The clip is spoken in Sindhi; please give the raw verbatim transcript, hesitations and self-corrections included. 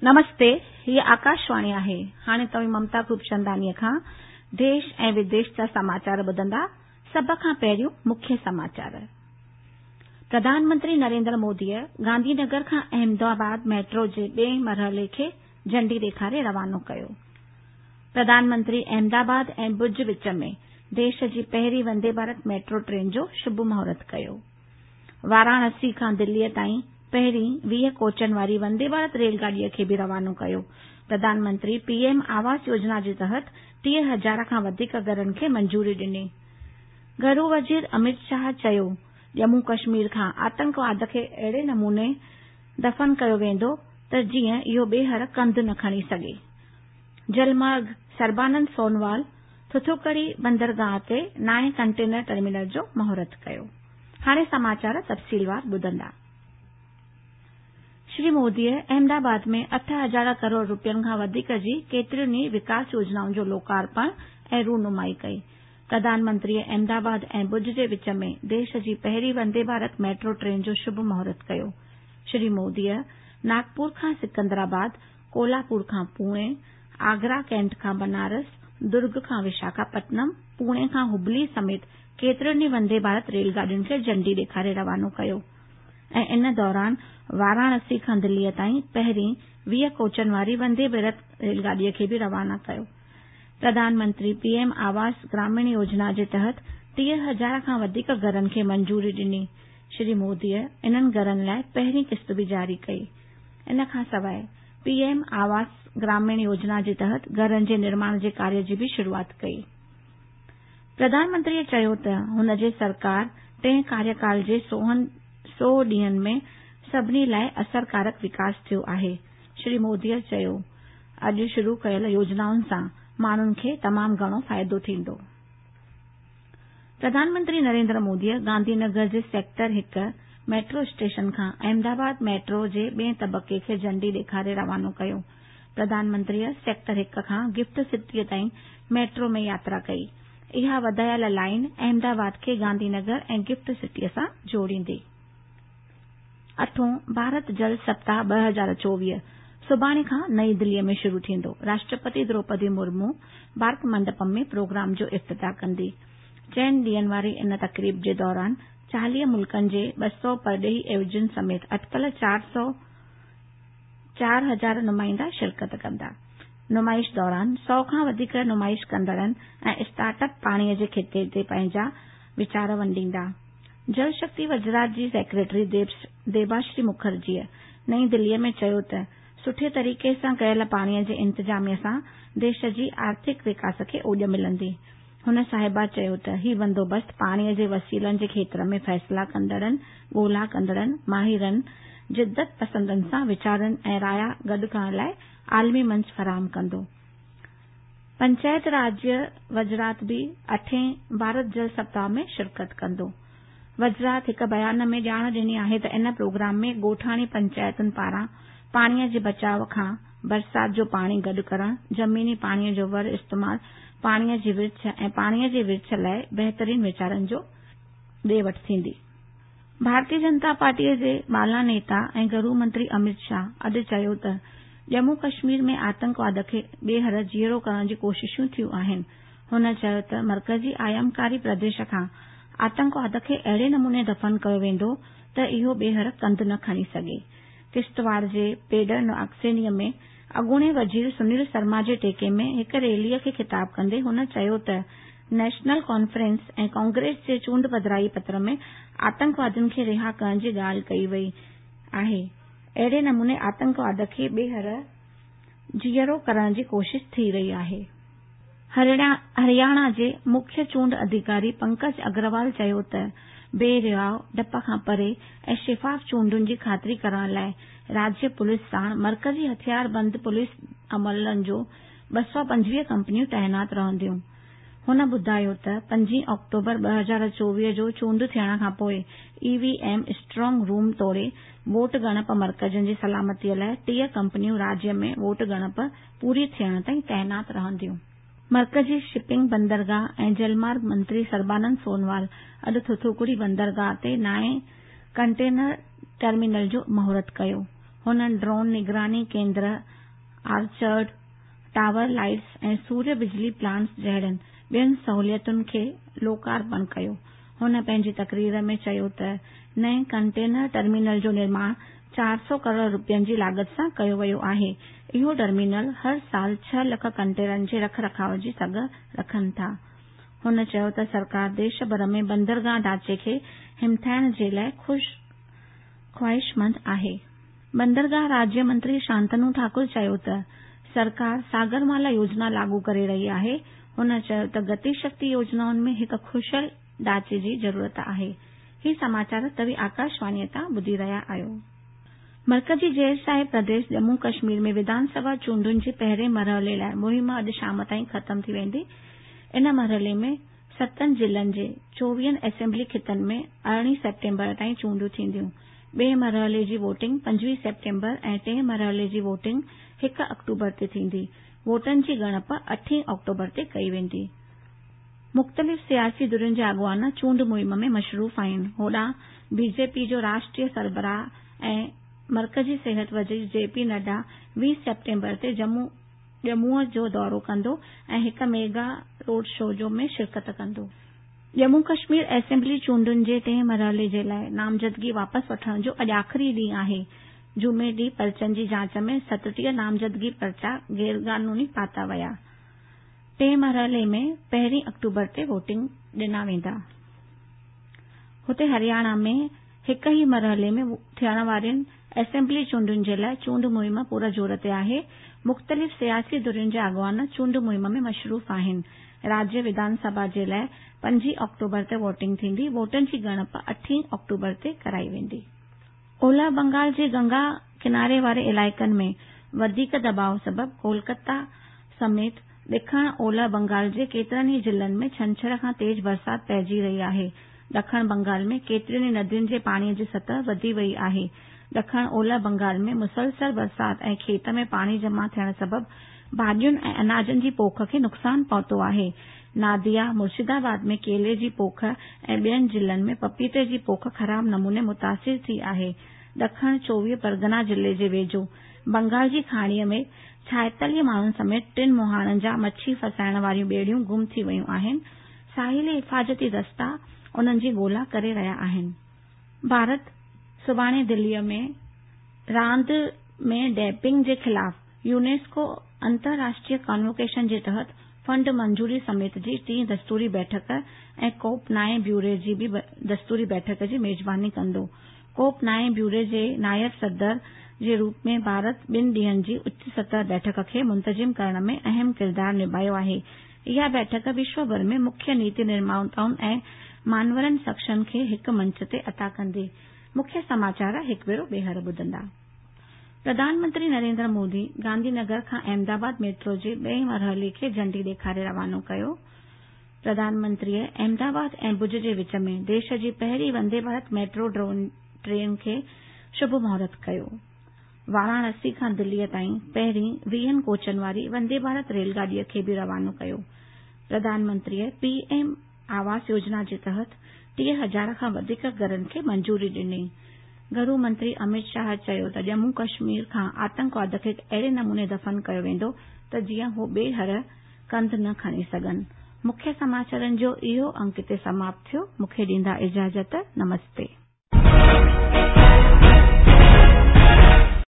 نمستي، هيء آڪاشواڻي آهي. هاڻي توهين ممتا خوبچنداڻيء کان ديش ۽ وديش جا سماچار ٻڌندا. سڀ کان پهريون مکيه سماچار. پرڌان منتري نريندر موديء گانڌي نگر کان احمدآباد ميٽرو جي ٻئي مرحلي کي جهنڊي ڏيکاري روانو ڪيو. پرڌان منتري احمدآباد ۽ ڀڄ وچ ۾ ديش جي پهرين وندي ڀارت ميٽرو ٽرين جو شڀ مهورت ڪيو. واراڻسي کان دليء تائين پهرين ويهه ڪوچن واري وندي ڀارت ريل گاڏيء کي به روانو ڪيو. پرڌان منتري پي ايم آواس يوجنا جي تحت ٽيهه هزار کان وڌيڪ گهرن کي منظوري ڏني. گهرو وزير امت شاهه چيو، ڄمون ڪشمير کان آتنڪواد کي اهڙي نموني دفن ڪيو ويندو ته جيئن اهو ٻيهر ڪنڌ نه کڻي سگهي. جلمارگ سربانند سونوال ٿوٿوڪڙي بندرگاهه تي نائين ڪنٽينر ٽرمينل جو مهورت ڪيو. هاڻي سماچار تفصيلوار ٻڌندا. شري موديء احمدآباد ۾ اٺ هزار ڪروڙ رپين کان وڌيڪ جي ڪيترين ئي وڪاس يوجنائن جو لوڪارپڻ ۽ رونمائي ڪئي. پرڌان منتريء احمدآباد ۽ ڀڄ جي وچ ۾ ديش جي پهرين وندي ڀارت ميٽرو ٽرين جو شڀ مهورت ڪيو. شري موديء ناگپور کان سڪندرآباد، ڪولهاپور کان پوڻي، آگرا ڪينٽ کان بنارس، درگ کان وشاکاپٽنم، پوڻي کان هبلي سميت ڪيترين ئي وندي ڀارت ريل گاڏين کي جهنڊي ڏيکاري روانو ڪيو ۽ ان دوران واراڻسي کان دليء تائين پهرين ويهه ڪوچن واري وندي ڀارت ريل گاڏيء کي به روانا ڪيو. پرڌان منتري پي ايم آواس گراميڻ يوجنا جي تحت ٽيهه هزار کان وڌيڪ گهرن کي منظوري ڏني. شري موديء انهن گهرن لاء پهرين قسط به جاري ڪئي. ان کان سواء پي ايم آواس گراميڻ يوجنا جي تحت گهرن جي نرماڻ جي ڪاريه جي به شروعات ڪئي. پرڌان منتريء چيو ته هن جي سرڪار ٽئين ڪاريڪال جي سؤ ڏينهن ۾ سڀني لاء اثرڪارڪ وڪاس ٿيو آهي. شري موديء چيو، اڄ شروع ڪيل يوجنائن سان ماڻهن کي تمام گهڻو فائدو ٿيندو. پرڌان منتري نريندر موديء گانڌي نگر جي سيڪٽر هڪ ميٽرو اسٽيشن کان احمدآباد ميٽرو جي ٻئي طبقي کي جهنڊي ڏيکاري روانو ڪيو. پرڌان منتريء سيڪٽر هڪ کان گفٽ سٽيء تائين ميٽرو ۾ ياترا ڪئي. اها وڌايل لائين احمدآباد کي گانڌي نگر ۽ گفٽ سٽيء سان جوڙيندي. اٺون ڀارت جل سپتاهه ٻه هزار چوويهه سڀاڻي کان نئين دليء ۾ شروع ٿيندو. راشٽرپتي دروپدي مرمو ڀارت منڊپم ۾ پروگرام جو افتتاح ڪندي. چئن ڏينهن واري ان تقريب جي دوران چاليهه ملڪن جي ٻه سؤ پرڏيهي عيوضين سميت اٽڪل چار سؤ چار هزار نمائندا شرڪت ڪندا. نمائش دوران سؤ کان وڌيڪ نمائش ڪندڙن ۽ اسٽارٽ اپ پاڻيء جي خطي تي پنهنجا ويچار ونڊيندا. جل شڪتي وزارت جي سيڪريٽري ديباشري مکرجيء نئين دليء ۾ چيو ته سٺي طريقي سان ڪيل پاڻيء جي انتظاميا سان ديش جي آرٿڪ وڪاس کي اوڄ ملندي. هن صاحبه چيو ته هي بندوبست پاڻيء جي وسيلن جي کيتر ۾ فيصلا ڪندڙن، ڳولا ڪندڙن، ماهرن، جدت پسندن سان ويچارن ۽ رايا گڏ ڪرڻ لاء عالمي منچ فراهم ڪندو. پنچائت راج وزارت به اٺين ڀارت جل سپتاهه ۾ شرڪت ڪندو. وزارت هڪ بيان ۾ ڄاڻ ڏني آهي ته ان پروگرام ۾ ڳوٺاڻي پنچائتن پاران پاڻيء جي بچاءُ کان برسات جو پاڻي گڏ ڪرڻ، زميني پاڻيء جو ور استعمال، پاڻيء جي ورڇ ۽ پاڻيء جي ورڇ لاء بهترين ويچارن جو ڏي وٺ ٿيندي. ڀارتيه جنتا پارٽيء جي بالا نيتا ۽ گهرو منتري امت شاهه اڄ چيو ته ڄمون ڪشمير ۾ آتنڪواد کي ٻيهر جيئرو ڪرڻ جي ڪوششون ٿيون آهن. هن چيو ته مرڪزي آيامڪاري پرديش کان آتنڪواد کي اهڙي نموني دفن ڪيو ويندو ته اهو ٻيهر ڪنڌ نه کڻي سگهي. ڪشتواڙ جي پيڊر ناگسينيء ۾ اڳوڻي وزير سنيل شرما جي ٽيڪي ۾ هڪ ريليء کي خطاب ڪندي هن چيو ته نيشنل ڪانفرنس ۽ ڪانگريس جي چونڊ پڌرائي پتر ۾ آتنڪوادين کي رها ڪرڻ جي ڳالهه ڪئي وئي آهي. اهڙي نموني آتنڪواد کي ٻيهر جيئرو ڪرڻ جي ڪوشش ٿي رهي آهي. هرياڻا جي مکيه چونڊ اڌڪاري پنڪج اگروال چيو ته بي رياءُ، ڊپ کان پري ۽ شفاف چونڊن جي خاطري ڪرڻ لاءِ راجيه پوليس ساڻ مرڪزي هٿياربند پوليس عملن جو ٻه سؤ پنجويهه ڪمپنيون تعينات رهنديون. هن ٻڌايو ته پنجين آڪٽوبر ٻه هزار چوويهه جو چونڊ ٿيڻ کان پوءِ E V M strong room توڙي ووٽ ڳڻپ مرڪزن جي سلامتيءَ لاءِ ٽيهه ڪمپنيون راجيه ۾ ووٽ ڳڻپ پوري ٿيڻ تائين تعينات رهنديون. مرڪزي شپنگ بندرگاهه ۽ جلمارگ منتري سربانند سونوال اڄ ٿوٿوڪڙي بندرگاهه تي نائين ڪنٽينر ٽرمينل جو مهورت ڪيو. هن ڊرون نگراني ڪيندر، آرچرڊ، ٽاور لائٽس ۽ سوريه بجلي پلانٽس جهڙين ٻين سهوليتن کي لوڪارپڻ ڪيو. هن پنهنجي تقرير ۾ چيو ته نئين ڪنٽينر ٽرمينل جو نرماڻ چار سؤ ڪروڙ رپين جي لاڳت سان ڪيو ويو آهي. اهو ٽرمينل هر سال ڇهه لک ڪنٽينرن جي رک رکاءُ جي سگهه رکن ٿا. هن چيو ته سرڪار ديش ڀر ۾ بندرگاهه ڍانچي کي همٿائڻ جي لاءِ خواهشمند آهي. بندرگاهه راجيه منتري شانتنو ٺاڪر چيو ته سرڪار ساگرمالا يوجنا لاڳو ڪري رهي آهي. هن چيو ته گتي شڪتي يوجنائن ۾ هڪ خوشل ڍانچي جي ضرورت آهي. هي سماچار توهين آڪاشواڻيءَ تان ٻڌي رهيا آهيو. مرڪزي غير شاهي پرديش ڄمون ڪشمير ۾ وڌان سڀا چونڊن جي پهرين مرحلي لاءِ مهم اڄ شام تائين ختم ٿي ويندي. ان مرحلي ۾ ستن ضلعن جي چوويهن اسيمبلي خطن ۾ ارڙهين سيپٽمبر تائين چونڊون ٿينديون. ٻئي مرحلي جي ووٽنگ پنجويهه سيپٽمبر ۽ ٽئين مرحلي جي ووٽنگ هڪ آڪٽوبر تي ٿيندي. ووٽن جي ڳڻپ اٺين آڪٽوبر تي ڪئي ويندي. مختلف سياسي ڌرين جا اڳواڻ چونڊ مهم ۾ مصروف آهن. هوڏانهن بي جي پي جو راشٽريه سربراهه ۽ مرڪزي صحت وزير جي پي نڊا ويهه سيپٽمبر تي ڄمونءَ جو دورو ڪندو ۽ هڪ ميگا روڊ شو ۾ شرڪت ڪندو. ڄمون ڪشمير اسيمبلي چونڊن جي ٽئين مرحلي جي لاءِ نامزدگي واپس وٺڻ جو اڄ آخري ڏينهن آهي. جمعي ڏينهن پرچن جي جاچ ۾ ستٽيهه نامزدگي پرچا غيرقانوني پاتا ويا. ٽئين مرحلي ۾ پهرين آڪٽوبر تي ووٽنگ ڏنا ويندا. هتي هرياڻا ۾ هڪ ئي مرحلي ۾ ٿيڻ وارين اسيمبلي چونڊن جي لاءِ چونڊ مهم پور زور تي آهي. مختلف سياسي ڌرين جا اڳواڻ چونڊ مهم ۾ مصروف آهن. راجيه وڌان سڀا جي لاءِ پنجين آڪٽوبر تي ووٽنگ ٿيندي. ووٽن جي ڳڻپ اٺين آڪٽوبر تي ڪرائي ويندي. اولهه بنگال جي گنگا ڪناري واري علائقن ۾ وڌيڪ دٻاءُ سبب ڪولڪتا سميت ڏکڻ اولهه بنگال جي ڪيترن ئي ضلعن ۾ ڇنڇر کان تيز برسات پئجي رهي آهي. ڏکڻ بنگال ۾ ڪيترين ئي ندين جي پاڻيءَ جي سطح وڌي وئي آهي. ڏکڻ اولهه بنگال ۾ مسلسل برسات ۽ کيت ۾ پاڻي جمع ٿيڻ سبب ڀاڄين ۽ اناجن جي پوک کي نقصان پهتو آهي. ناديا، مرشدآباد ۾ ڪيلي جي پوک ۽ ٻين ضلعن ۾ پپيتي جي پوک خراب نموني متاثر ٿي آهي. ڏکڻ چوويهه پرگنا ضلعي جي ويجهو بنگال جي کاڙيءَ ۾ ڇائيتاليهه ماڻهن سميت ٽن مهاڻن جا مڇي ڦسائڻ واريون ٻيڙيون گم ٿي ويون آهن. ساحلي حفاظتي دستا انهن جي ڳولا ڪري رهيا آهن. ڀارت سڀاڻي دليءَ ۾ راند ۾ ڊوپنگ جي خلاف يونيسڪو انترراشٽريه ڪانووڪيشن جي تحت فنڊ منظوري سميت جي ٽين دستوري بيٺڪ ۽ ڪوپ نائين بيوري جي به دستوري بيٺڪ جي ميزباني ڪندو. ڪوپ نائين بيوري جي نائب صدر جي روپ ۾ ڀارت ٻن ڏينهن جي اچ سطح بيٺڪ کي منتظم ڪرڻ ۾ اهم ڪردار نڀايو آهي. اها بيٺڪ وشو ڀر ۾ مکيه نيتي نرماتائن ۽ مانورن شخصن کي هڪ منچ تي عطا ڪندي. مکيه سماچار هڪ ڀيرو ٻيهر ٻڌندا. پرڌان منتري نريندر مودي گانڌي نگر کان احمدآباد ميٽرو جي ٻئي مرحلي کي جهنڊي ڏيکاري روانو ڪيو. پرڌان منتريءَ احمدآباد ۽ ڀڄ جي وچ ۾ ديش جي پهرين وندي ڀارت ميٽرو ٽرين کي شڀ مهورت ڪيو. واراڻسي کان دليءَ تائين پهرين ويهن ڪوچن واري وندي ڀارت ريل گاڏيءَ کي به روانو ڪيو. پرڌان منتريءَ پي ايم آواس يوجنا جي تحت ٽيهه هزار کان وڌيڪ گهرن کي منظوري ڏني. گهرو منتري امت شاهه چيو ته ڄمون ڪشمير کان آتنڪواد کي اهڙي نموني دفن ڪيو ويندو ته جيئن هو ٻيهر ڪنڌ نه کڻي سگهن. مکيه سماچارن جو اهو انڪ هتي سماپت ٿيو. مون کي ڏيندا اجازت. نمستي.